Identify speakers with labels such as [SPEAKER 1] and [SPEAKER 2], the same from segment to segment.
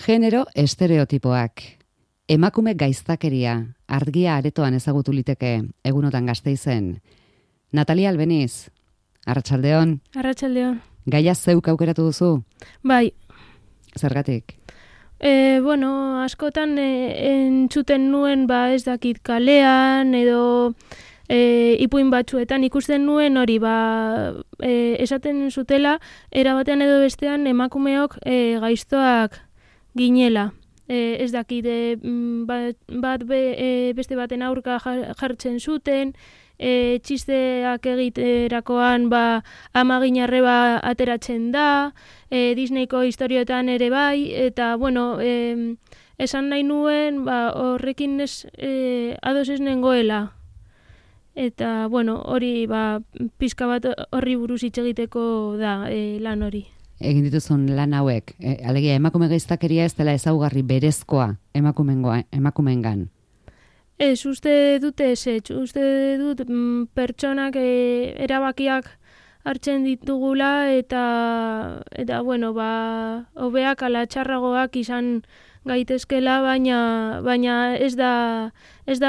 [SPEAKER 1] Genero estereotipoak. Emakume gaiztakeria, argia aretoan ezagutu liteke, egunotan Gasteizen. Natalia Albeniz, arratsaldeon.
[SPEAKER 2] Arratsaldeon.
[SPEAKER 1] Gaia zeuk aukeratu duzu?
[SPEAKER 2] Bai.
[SPEAKER 1] Zergatik?
[SPEAKER 2] Askotan entzuten nuen, ez dakit kalean, edo ipuin batzuetan ikusten nuen hori, esaten zutela, erabatean edo bestean emakumeok gaiztoak ginela. Ez dakit, beste baten aurka jartzen zuten, txisteak egiterakoan amaginarreba ateratzen da, Disneyko historioetan ere bai, eta, esan nahi nuen, horrekin ados ez nengoela. Eta, hori, pixka bat horri buruz hitz egiteko da lan hori.
[SPEAKER 1] Egin dituzun lan hauek, alegia emakume gaiztakeria ez dela ezaugarri berezkoa emakumeengan.
[SPEAKER 2] Ez, uste dut pertsonak erabakiak hartzen ditugula eta hobeak ala txarragoak izan gaitezkela, baina ez da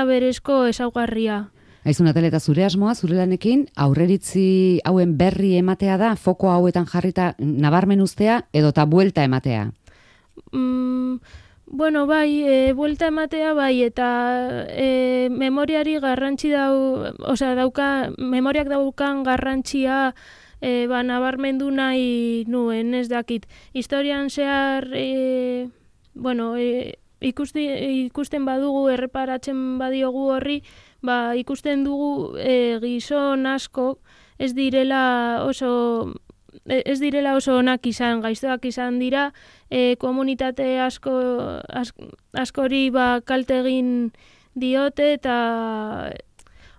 [SPEAKER 2] berezko ezaugarria.
[SPEAKER 1] Aizu, Natalia, eta zure asmoa, zure lanekin, aurreritzi hauen berri ematea da, foko hauetan jarrita nabarmen uztea, edota buelta ematea?
[SPEAKER 2] Buelta ematea bai, eta memoriari garrantzi memoriak daukan garrantzia nabarmendu nahi nuen, ez dakit. Historian zehar, ikusten badugu, erreparatzen badiogu horri, ikusten dugu gizon asko ez direla oso onak izan, gaiztoak izan dira, komunitate askori kalte egin diote, eta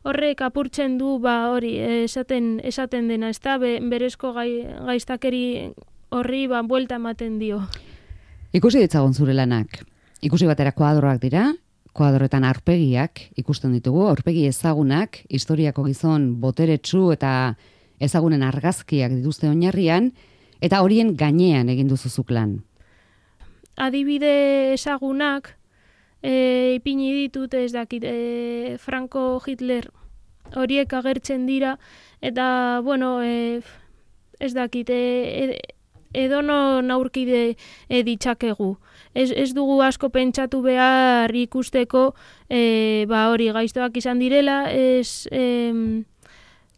[SPEAKER 2] horrek apurtzen du hori esaten dena, ez da, berezko gaiztakeri horri buelta ematen dio.
[SPEAKER 1] Ikusi ditzagun zure lanak. Ikusi batera kuadroak dira, kuadroetan aurpegiak ikusten ditugu, aurpegi ezagunak, historiako gizon boteretsu eta ezagunen argazkiak dituzte oinarrian, eta horien gainean egin duzuzuk lan.
[SPEAKER 2] Adibide ezagunak, ipini ditut, ez dakit, Franco, Hitler, horiek agertzen dira, eta, ez dakit, edonon aurkide ditzakegu. Ez dugu asko pentsatu behar ikusteko, hori gaiztoak izan direla,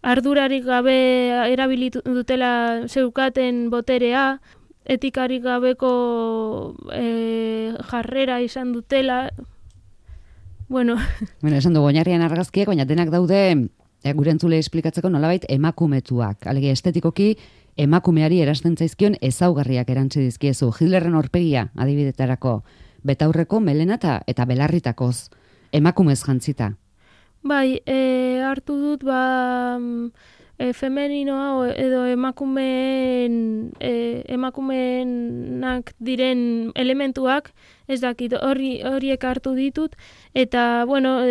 [SPEAKER 2] ardurarik gabe erabilitu dutela zeukaten boterea, etikarik gabeko jarrera izan dutela.
[SPEAKER 1] Esan dugu oinarrian argazkiak, baina denak daude, gure entzule esplikatzeko nolabait emakumetuak. Alegia estetikoki emakumeari erasten zaizkion ezaugarriak erantzi dizkiezu. Hitlerren aurpegia adibidetarako, betaurreko melena eta belarritakoz, emakumez jantzita.
[SPEAKER 2] Bai, hartu dut femeninoa edo emakumeenak diren elementuak, ez dakit, horiek hartu ditut, eta,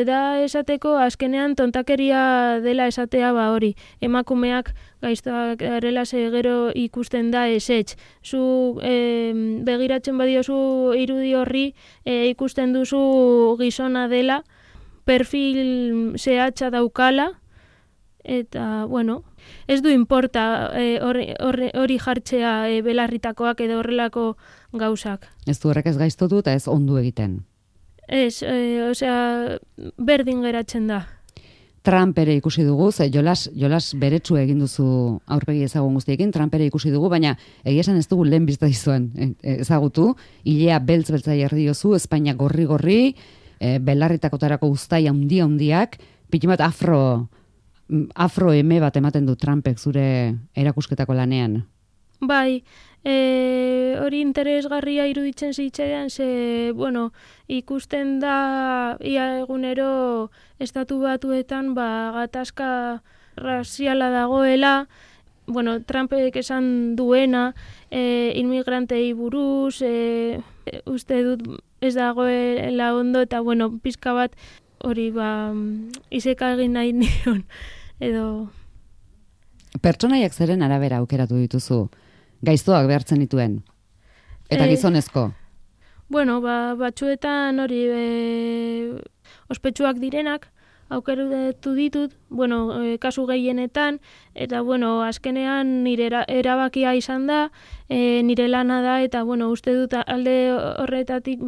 [SPEAKER 2] da esateko azkenean tontakeria dela esatea hori, emakumeak gaiztoak garela gero ikusten da ezetz. Zu begiratzen badiozu irudi horri ikusten duzu gizona dela, perfil zehatza daukala, eta, ez du importa hori jartzea belarritakoak edo horrelako gauzak.
[SPEAKER 1] Ez du horrek ez gaiztotu eta ez ondu egiten.
[SPEAKER 2] Ez, berdin geratzen da.
[SPEAKER 1] Trump ere ikusi dugu, jolas beretsu egin duzu aurpegi ezagun guztiekin, Trump ere ikusi dugu, baina egia esan ez dugu lehen bizta izuan ezagutu, ilea beltz-beltza jarri diozu, Espainia gorri-gorri, belarritakotarako uztai handiak, pitimat afro eme bat ematen du Trumpek zure erakusketako lanean.
[SPEAKER 2] Bai, hori interesgarria iruditzen zitzaidan, ikusten da ia egunero estatu batuetan gatazka raziala dagoela, Trumpek esan duena, inmigrantei buruz, uste dut ez dagoela ondo, eta pizka bat hori izeka egin nahi nion, edo...
[SPEAKER 1] Pertsonaiak zeren arabera aukeratu dituzu, gaiztoak behartzen dituen, eta gizonezko?
[SPEAKER 2] Bueno, batzuetan hori ospetsuak direnak, aukeratu ditut, bueno, kasu gehienetan, eta, bueno, azkenean nire erabakia izan da, nire lana da, eta, bueno, uste dut alde horretatik,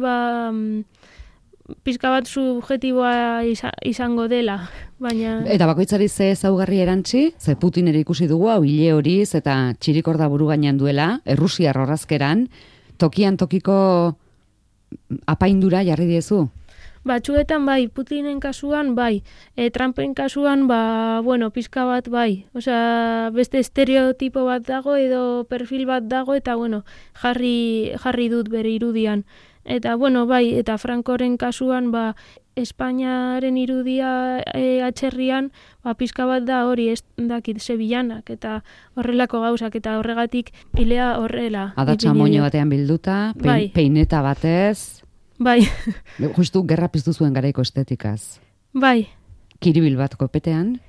[SPEAKER 2] pizka bat subjetiboa izango dela, baina...
[SPEAKER 1] Eta bakoitzari ze ezaugarri erantzi, ze Putin ere ikusi dugu, hau hile horiz eta txirikorda buru gainean duela, Errusiar orrazkeran, tokian tokiko apaindura jarri diezu?
[SPEAKER 2] Batzuetan bai, Putinen kasuan bai, Trumpen kasuan, bueno, pizka bat bai. Osea, beste estereotipo bat dago edo perfil bat dago eta, bueno, jarri dut bere irudian. Eta, bueno, bai, eta Francoren kasuan, Espainiaren irudia atxerrian, pizka bat da hori, ez dakit, Sevillanak, eta horrelako gauzak, eta horregatik pilea horrela.
[SPEAKER 1] Adatsa moño batean bilduta, peineta batez...
[SPEAKER 2] Bai.
[SPEAKER 1] Justu gerra piztu zuen garaiko estetikaz.
[SPEAKER 2] Bai.
[SPEAKER 1] Kiribil bat kopetean?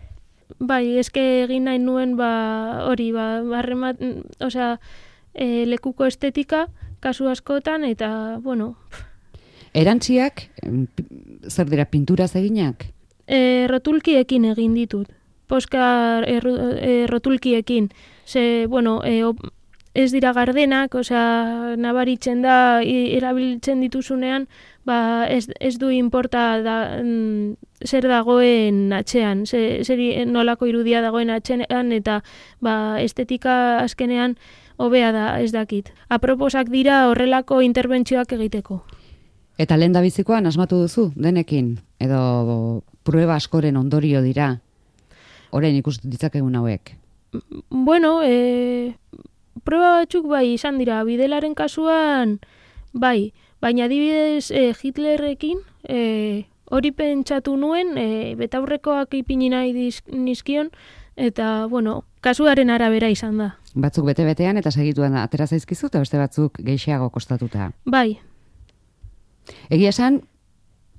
[SPEAKER 2] Bai, eske egin nahi nuen hori, lekuko estetika, kasu askotan, eta, bueno...
[SPEAKER 1] Erantziak, zer dira, pinturaz eginak?
[SPEAKER 2] Rotulkiekin egin ditut. Poska rotulkiekin. Ze, bueno, ez dira gardenak, nabaritzen da, erabiltzen dituzunean, ez du inporta zer dagoen atxean, zer nolako irudia dagoen atxean, eta estetika azkenean hobea da, ez dakit. Aproposak dira horrelako interbentzioak egiteko.
[SPEAKER 1] Eta lehen da bizikoan asmatu duzu, denekin? Edo prueba askoren ondorio dira? Orain ikustu ditzakegun hauek?
[SPEAKER 2] Bueno, proba batzuk bai izan dira, Bidelaren kasuan bai, baina adibidez Hitlerrekin hori pentsatu nuen, betaurrekoak ipini nahi nizkion, eta, bueno, kasuaren arabera izan da.
[SPEAKER 1] Batzuk bete-betean eta segituan atera zaizkizu, eta beste batzuk gehiago kostatuta.
[SPEAKER 2] Bai.
[SPEAKER 1] Egia esan,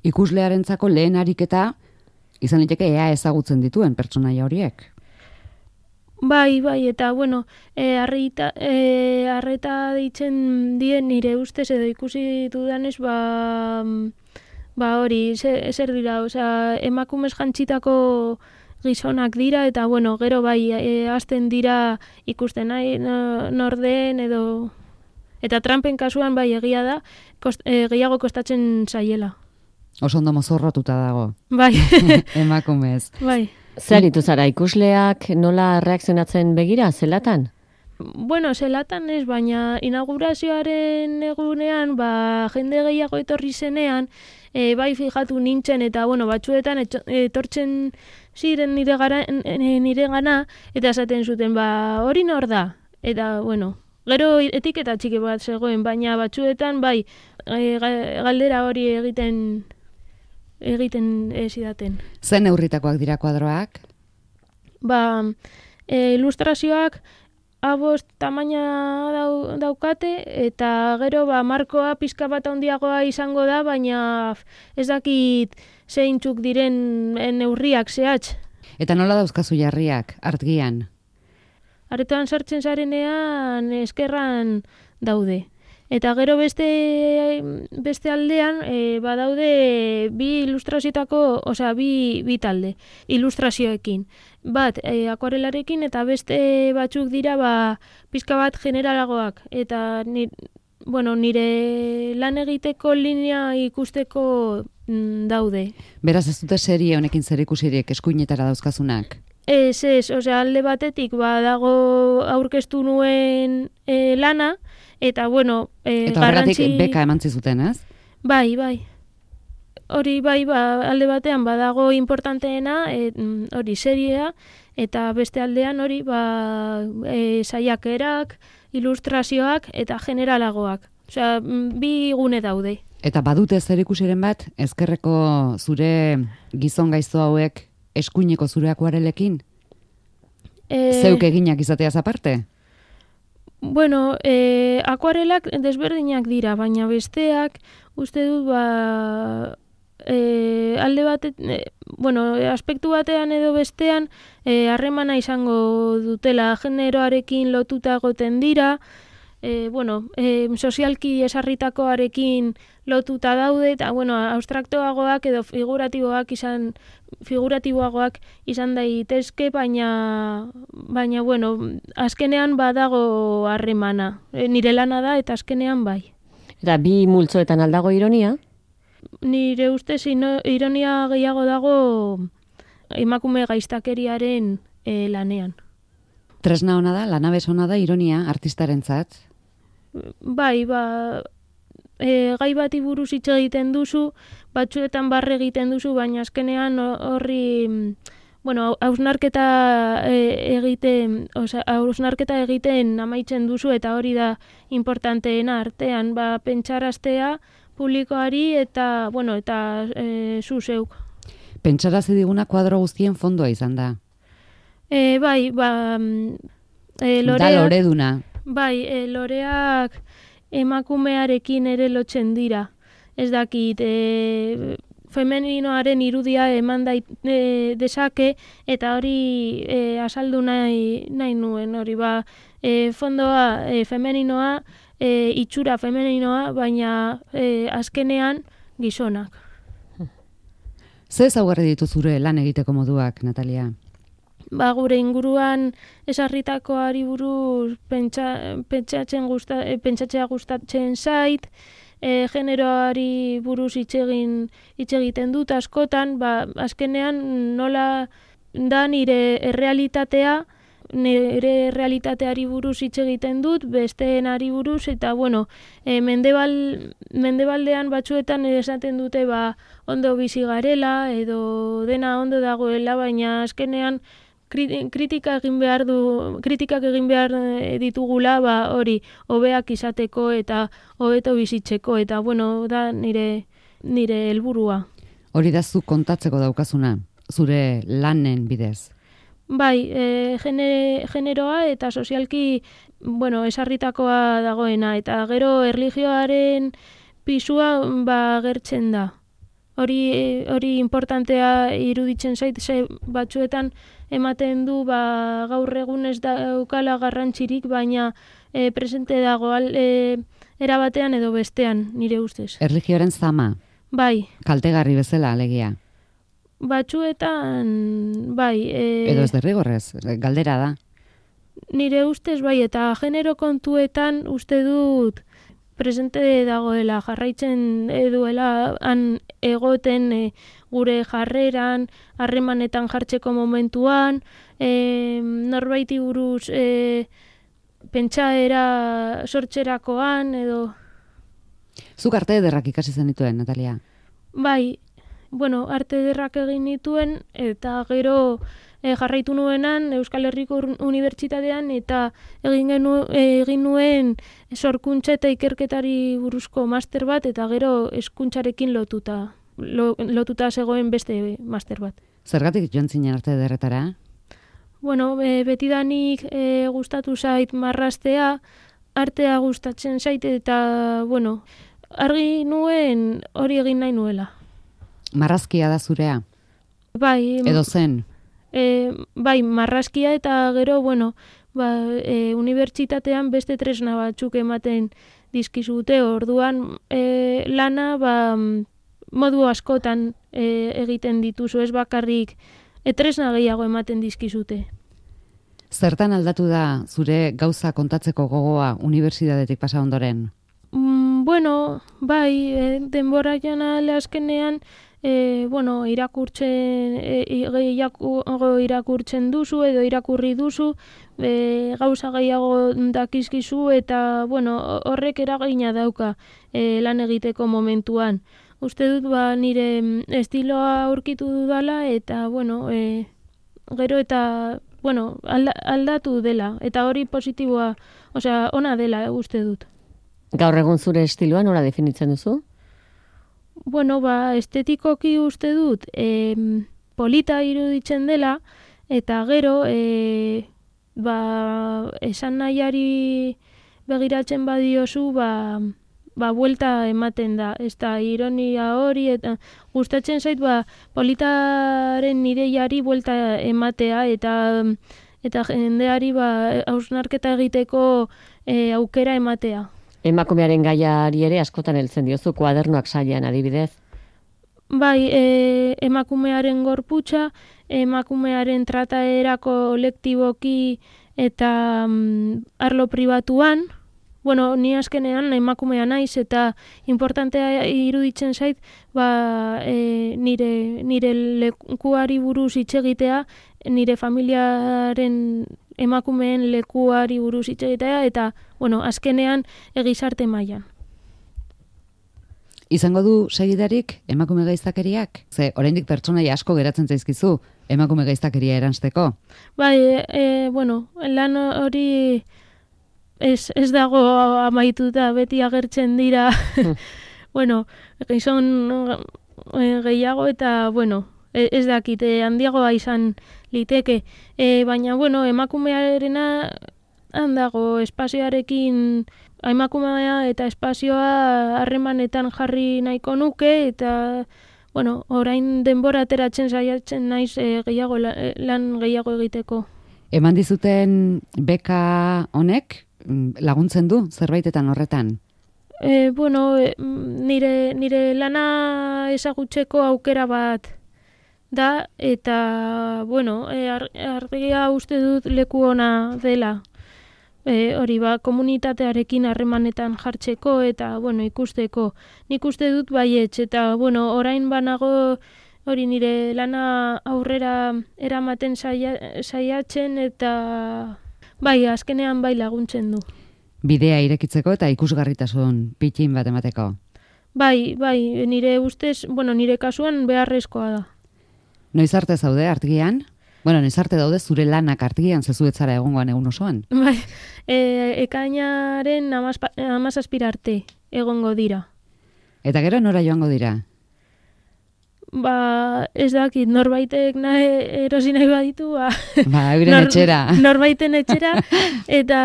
[SPEAKER 1] ikuslearentzako lehen ariketa izan liteke ea ezagutzen dituen pertsonaia horiek.
[SPEAKER 2] Bai, eta, bueno, arreta deitzen dien nire ustez edo ikusi dudanez, hori, zer dira, emakumez jantzitako gizonak dira, eta, bueno, gero bai, hasten dira ikusten nahi norden edo... Eta Trumpen kasuan bai egia da, gehiago kostatzen zaiela.
[SPEAKER 1] Oso ondo mozorrotuta dago.
[SPEAKER 2] Bai.
[SPEAKER 1] Emakumez.
[SPEAKER 2] Bai.
[SPEAKER 3] Zer aritu zara, ikusleak nola reakzionatzen begira, zelatan?
[SPEAKER 2] Bueno, zelatan ez, baina inaugurazioaren egunean, jende gehiago etorri zenean, bai fijatu nintzen, eta, bueno, batzuetan etortzen ziren nire gana, eta esaten zuten, hori nor da? Eta, bueno, gero etiketa txiki bat zegoen, baina batzuetan, bai, galdera hori egiten zidaten.
[SPEAKER 1] Zen neurritakoak dira kuadroak?
[SPEAKER 2] Ilustrazioak abost tamaina daukate, eta gero markoa pizka bat handiagoa izango da, baina ez dakit zeintzuk diren neurriak zehatz.
[SPEAKER 1] Eta nola dauzkazu jarriak, artgian?
[SPEAKER 2] Aretoan sartzen zarenean eskerran daude. Eta gero beste aldean badaude bi ilustrazioetako, bi talde ilustrazioekin. Bat akuarelarekin eta beste batzuk dira pizka bat generalagoak. Eta nire lan egiteko linea ikusteko daude.
[SPEAKER 1] Beraz ez dute serie honekin zer ikusirik eskuinetara dauzkazunak?
[SPEAKER 2] Ez, alde batetik dago aurkeztu nuen lana, eta, bueno,
[SPEAKER 1] eta horregatik beka eman zizuten, ez?
[SPEAKER 2] Bai. Hori, alde batean badago importanteena, hori seriea, eta beste aldean hori, saiakerak, ilustrazioak eta generalagoak. Osea, bi gune daude.
[SPEAKER 1] Eta badute zer ikusiren bat, ezkerreko zure gizon gaizto hauek eskuineko zure akuarelekin? Zeuk eginak izateaz aparte?
[SPEAKER 2] Bueno, akuarelak desberdinak dira, baina besteak uste dut alde aspektu batean edo bestean harremana izango dutela, generoarekin lotuta egoten dira, sozialki esarritakoarekin lotuta daude, eta, abstraktoagoak edo figuratiboagoak izan daitezke, baina, azkenean badago harremana. Nire lana da, eta azkenean bai.
[SPEAKER 3] Eta bi multzoetan aldago ironia?
[SPEAKER 2] Nire ustez ironia gehiago dago emakume gaiztakeriaren lanean.
[SPEAKER 1] Tresna ona da, lanabez ona da ironia artistarentzat.
[SPEAKER 2] Bai, gai bati buruz hitz egiten duzu, batzuetan barre egiten duzu, baina azkenean horri hausnarketa egiten amaitzen duzu, eta hori da importanteena artean, pentsaraztea publikoari eta zu zeuk.
[SPEAKER 1] Pentsarazi diguna kuadro guztien fondoa izan da. Loreduna.
[SPEAKER 2] Bai, loreak emakumearekin ere lotzen dira. Ez dakit, femeninoaren irudia eman dezake, eta hori azaldu nahi nuen, hori fondoa femeninoa, itxura femeninoa, baina azkenean gizonak.
[SPEAKER 1] Ze ezaugarri ditu zure lan egiteko moduak, Natalia?
[SPEAKER 2] Gure inguruan esarritakoari buruz pentsatzea gustatzen zait, generoari buruz hitz egiten dut askotan, azkenean nola da nire errealitateari buruz hitz egiten dut, besteenari buruz, eta mendebaldean batzuetan esaten dute ondo bizi garela, edo dena ondo dagoela, baina azkenean kritikak egin behar ditugula, hori, hobeak izateko eta hobeto bizitzeko, eta da nire helburua.
[SPEAKER 1] Hori da zu kontatzeko daukazuna, zure lanen bidez?
[SPEAKER 2] Bai, generoa eta sozialki, esarritakoa dagoena, eta gero erlijioaren pisua gertzen da. Hori importantea iruditzen zait, batzuetan ematen du gaur egun ez daukala garrantzirik, baina presente dago erabatean edo bestean, nire ustez.
[SPEAKER 1] Erlijioaren zama?
[SPEAKER 2] Bai.
[SPEAKER 1] Kaltegarri bezala, alegia?
[SPEAKER 2] Batzuetan, bai.
[SPEAKER 1] Edo ez derrigorrez, galdera da.
[SPEAKER 2] Nire ustez, bai, eta genero kontuetan uste dut presente dagoela, jarraitzen duela han egoten gure jarreran, harremanetan jartzeko momentuan, norbaiti buruz pentsaera sortzerakoan, edo...
[SPEAKER 1] Zuk arte ederrak ikasi zenituen, Natalia?
[SPEAKER 2] Bai, arte ederrak egin nituen, eta gero jarraitu nuenan Euskal Herriko Unibertsitatean, eta egin nuen sorkuntza eta ikerketari buruzko master bat, eta gero hezkuntzarekin lotuta zegoen beste master bat.
[SPEAKER 1] Zergatik joan zinen arte ederretara?
[SPEAKER 2] Betidanik gustatu zait marraztea, artea gustatzen zait, eta, argi nuen hori egin nahi nuela.
[SPEAKER 1] Marrazkia da zurea?
[SPEAKER 2] Bai.
[SPEAKER 1] Edo zen?
[SPEAKER 2] Bai, marrazkia, eta gero, unibertsitatean beste tresna batzuk ematen dizkizute, orduan lana modu askotan egiten dituzu, ez bakarrik tresna gehiago ematen dizkizute.
[SPEAKER 1] Zertan aldatu da zure gauza kontatzeko gogoa unibertsitatetik pasa ondoren?
[SPEAKER 2] Bai, denbora janale azkenean, irakurtzen duzu edo irakurri duzu, gauza gehiago dakizkizu, eta horrek eragina dauka lan egiteko momentuan. Uste dut nire estiloa aurkitu dudala, eta gero eta aldatu dela, eta hori positiboa, ona dela uste dut.
[SPEAKER 3] Gaur egun zure estiloa nola definitzen duzu?
[SPEAKER 2] Estetikoki uste dut polita iruditzen dela, eta gero esan nahiari begiratzen badiozu, buelta ematen da, ez da ironia hori, eta gustatzen zait politaren ideiari buelta ematea, eta jendeari hausnarketa egiteko aukera ematea.
[SPEAKER 3] Emakumearen gaiari ere askotan heltzen diozu, kuadernoak sailean adibidez.
[SPEAKER 2] Bai, emakumearen gorputza, emakumearen trataera kolektiboki eta arlo pribatuan, bueno, ni azkenean emakumea naiz eta importantea iruditzen zait, nire lekuari buruz hitz egitea, nire familiaren emakumeen lekuari buruz hitz egitea eta, bueno, azkenean gizarte mailan.
[SPEAKER 1] Izango du segidarik emakume gaiztakeriak? Ze, oraindik pertsonaia asko geratzen zaizkizu emakume gaiztakeria eransteko.
[SPEAKER 2] Bai, bueno, lan hori ez dago amaituta, beti agertzen dira, bueno, gizon gehiago eta, bueno, ez dakit, handiagoa izan liteke. Baina, bueno, emakumearena handago espazioarekin, emakumea eta espazioa harremanetan jarri nahiko nuke, eta, bueno, orain denbora ateratzen saiatzen naiz lan gehiago egiteko.
[SPEAKER 1] Eman dizuten beka honek laguntzen du zerbaitetan horretan?
[SPEAKER 2] Bueno, nire lana ezagutzeko aukera bat da, eta, bueno, argia uste dut leku ona dela. Hori komunitatearekin harremanetan jartzeko eta, bueno, ikusteko. Nik uste dut baietz, eta, bueno, orain banago hori nire lana aurrera eramaten saiatzen eta, bai, azkenean bai laguntzen du.
[SPEAKER 1] Bidea irekitzeko eta ikusgarritasun pitin bat emateko.
[SPEAKER 2] Bai, nire ustez, bueno, nire kasuan beharrezkoa da.
[SPEAKER 1] Noiz arte zaude argian? Bueno, noiz arte daude zure lanak argian zezuetzara egongoan egun osoan?
[SPEAKER 2] Bai, ekainaren 17 arte egongo dira.
[SPEAKER 1] Eta gero nora joango dira?
[SPEAKER 2] Ez dakit, norbaitek erosi nahi baditu,
[SPEAKER 1] euren etxera.
[SPEAKER 2] Norbaiten etxera, eta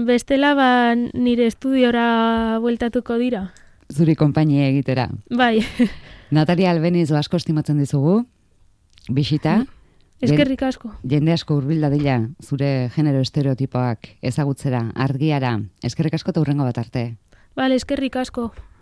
[SPEAKER 2] bestela nire estudiora bueltatuko dira.
[SPEAKER 1] Zuri konpainia egitera.
[SPEAKER 2] Bai.
[SPEAKER 1] Natalia Albeniz asko estimatzen dizugu, bisita.
[SPEAKER 2] Eskerrik asko.
[SPEAKER 1] Jende asko hurbil dadila zure genero estereotipoak ezagutzera, argiara. Eskerrik asko eta hurrengo bat arte.
[SPEAKER 2] Bale, eskerrik asko.